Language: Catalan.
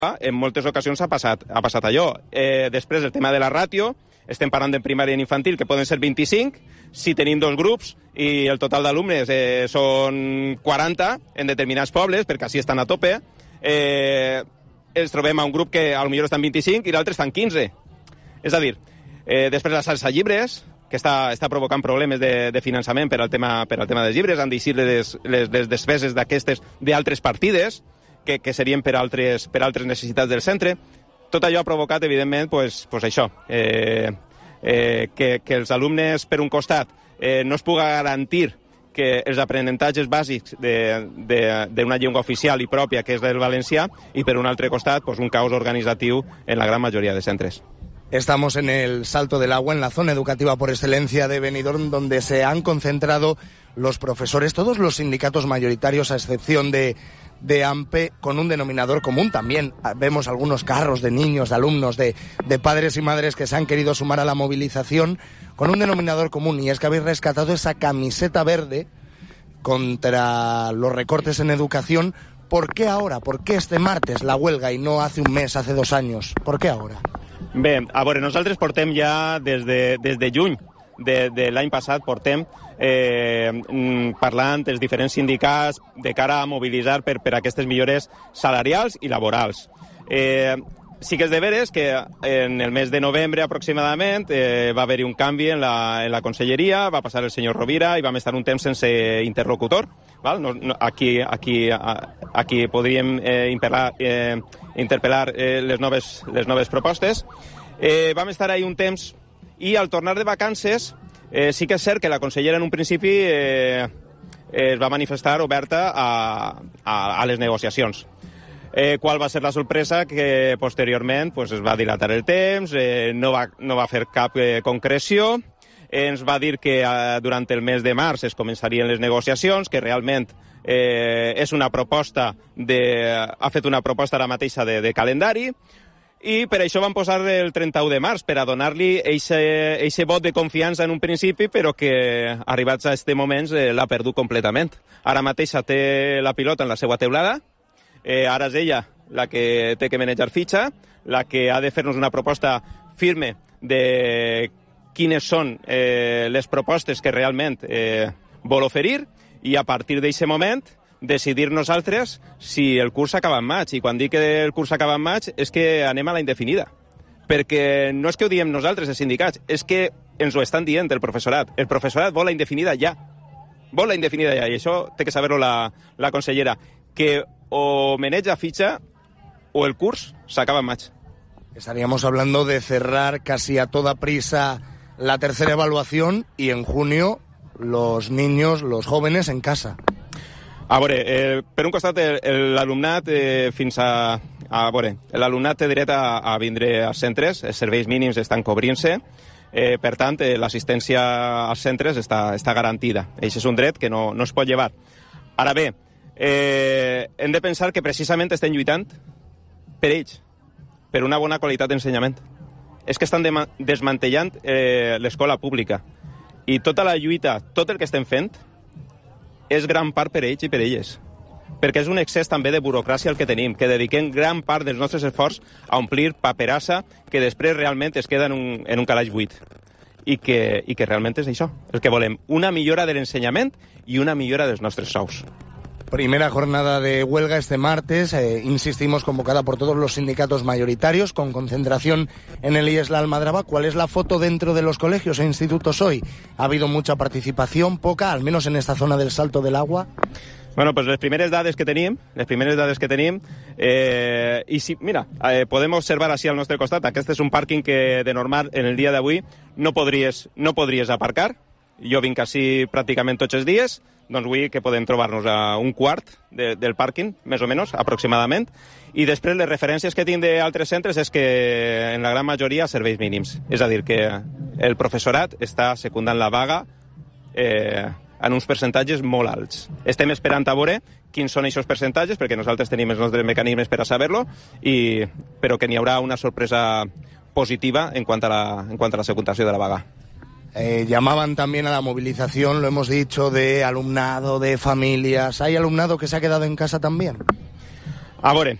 en moltes ocasions ha passat allò. Després, el tema de la ràtio, estem parlant de primària i infantil, que poden ser 25, si tenim 2 grups i el total d'alumnes són 40 en determinats pobles, perquè així estan a tope, ens trobem a un grup que potser estan 25 i l'altre estan 15. És a dir, després la salsa llibres, que està provocant problemes de finançament per al tema dels llibres, han d'eixir les despeses d'aquestes d'altres partides, que serien per altres necessitats del centre. Tot allò ha provocat, evidentment, pues això, que els alumnes, per un costat, no es puga garantir que els aprenentatges bàsics d'una llengua oficial i pròpia, que és el valencià, i per un altre costat, pues un caos organitzatiu en la gran majoria de centres. Estamos en el Salto del Agua, en la zona educativa por excelencia de Benidorm, donde se han concentrado los profesores, todos los sindicatos mayoritarios, a excepción de AMPE, con un denominador común. También vemos algunos carros de niños, de alumnos, de padres y madres que se han querido sumar a la movilización, con un denominador común, y es que habéis rescatado esa camiseta verde contra los recortes en educación. ¿Por qué ahora? ¿Por qué este martes la huelga y no hace un mes, hace 2 años? ¿Por qué ahora? Bé, a veure, nosaltres portem ja des de juny de l'any passat, portem parlant els diferents sindicats de cara a mobilitzar per aquestes millores salarials i laborals. Sí que és de veres que en el mes de novembre aproximadament va haver-hi un canvi en la conselleria, va passar el senyor Rovira i vam estar un temps sense interlocutor. Val? Aquí podríem interpel·lar les noves propostes. Vam estar ahí un temps i al tornar de vacances sí que és cert que la consellera en un principi es va manifestar oberta a les negociacions. Qual va ser la sorpresa? Que posteriorment pues, es va dilatar el temps, no va fer cap concreció, ens va dir que durant el mes de març es començarien les negociacions, que realment és una proposta ha fet una proposta ara mateixa de calendari, i per això van posar el 31 de març, per a donar-li eixe vot de confiança en un principi, però que arribats a este moment l'ha perdut completament. Ara mateixa té la pilota en la seva teulada, ara és ella la que té que manejar fitxa, la que ha de fer-nos una proposta firme de quines són les propostes que realment vol oferir, i a partir d'aquest moment decidir nosaltres si el curs acaba en maig. I quan dic que el curs acaba en maig és que anem a la indefinida. Perquè no és que ho diem nosaltres, els sindicats, és que ens ho estan dient el professorat. El professorat vol la indefinida ja. Vol la indefinida ja, i això té que saber-ho la consellera. Que o maneja fitxa o el curs s'acaba en maig. Estaríamos hablando de cerrar casi a toda prisa la tercera evaluación y en junio los niños, los jóvenes en casa. A veure, per un costat l'alumnat fins a veure, l'alumnat té dret a vindre als centres, els serveis mínims estan cobrint-se, per tant l'assistència als centres està garantida. Això és un dret que no es pot llevar. Ara bé, hem de pensar que precisament estem lluitant per ells, per una bona qualitat d'ensenyament. És que estan desmantellant l'escola pública, i tota la lluita, tot el que estem fent, és gran part per ells i per elles. Perquè és un excés també de burocràcia el que tenim, que dediquem gran part dels nostres esforços a omplir paperassa que després realment es queda en un calaix buit. I que realment és això, el que volem. Una millora de l'ensenyament i una millora dels nostres sous. Primera jornada de huelga este martes, insistimos, convocada por todos los sindicatos mayoritarios, con concentración en el IES La Almadraba. ¿Cuál es la foto dentro de los colegios e institutos hoy? ¿Ha habido mucha participación, poca, al menos en esta zona del Salto del Agua? Bueno, pues les primeres dades que tenim, i sí, mira, podem observar així al nostre costat. Aquest és un pàrquing que de normal en el dia d'avui no podries aparcar. Jo vinc així pràcticament tots els dies, doncs vull que podem trobar-nos a un quart del pàrquing, més o menys, aproximadament, i després les referències que tinc d'altres centres és que en la gran majoria serveis mínims. És a dir, que el professorat està secundant la vaga en uns percentatges molt alts. Estem esperant a veure quins són aquests percentatges, perquè nosaltres tenim els nostres mecanismes per a saber-lo, però que n'hi haurà una sorpresa positiva en quant a la secundació de la vaga. Llamaban también a la movilización, lo hemos dicho, de alumnado, de familias. ¿Hay alumnado que se ha quedado en casa también? A veure,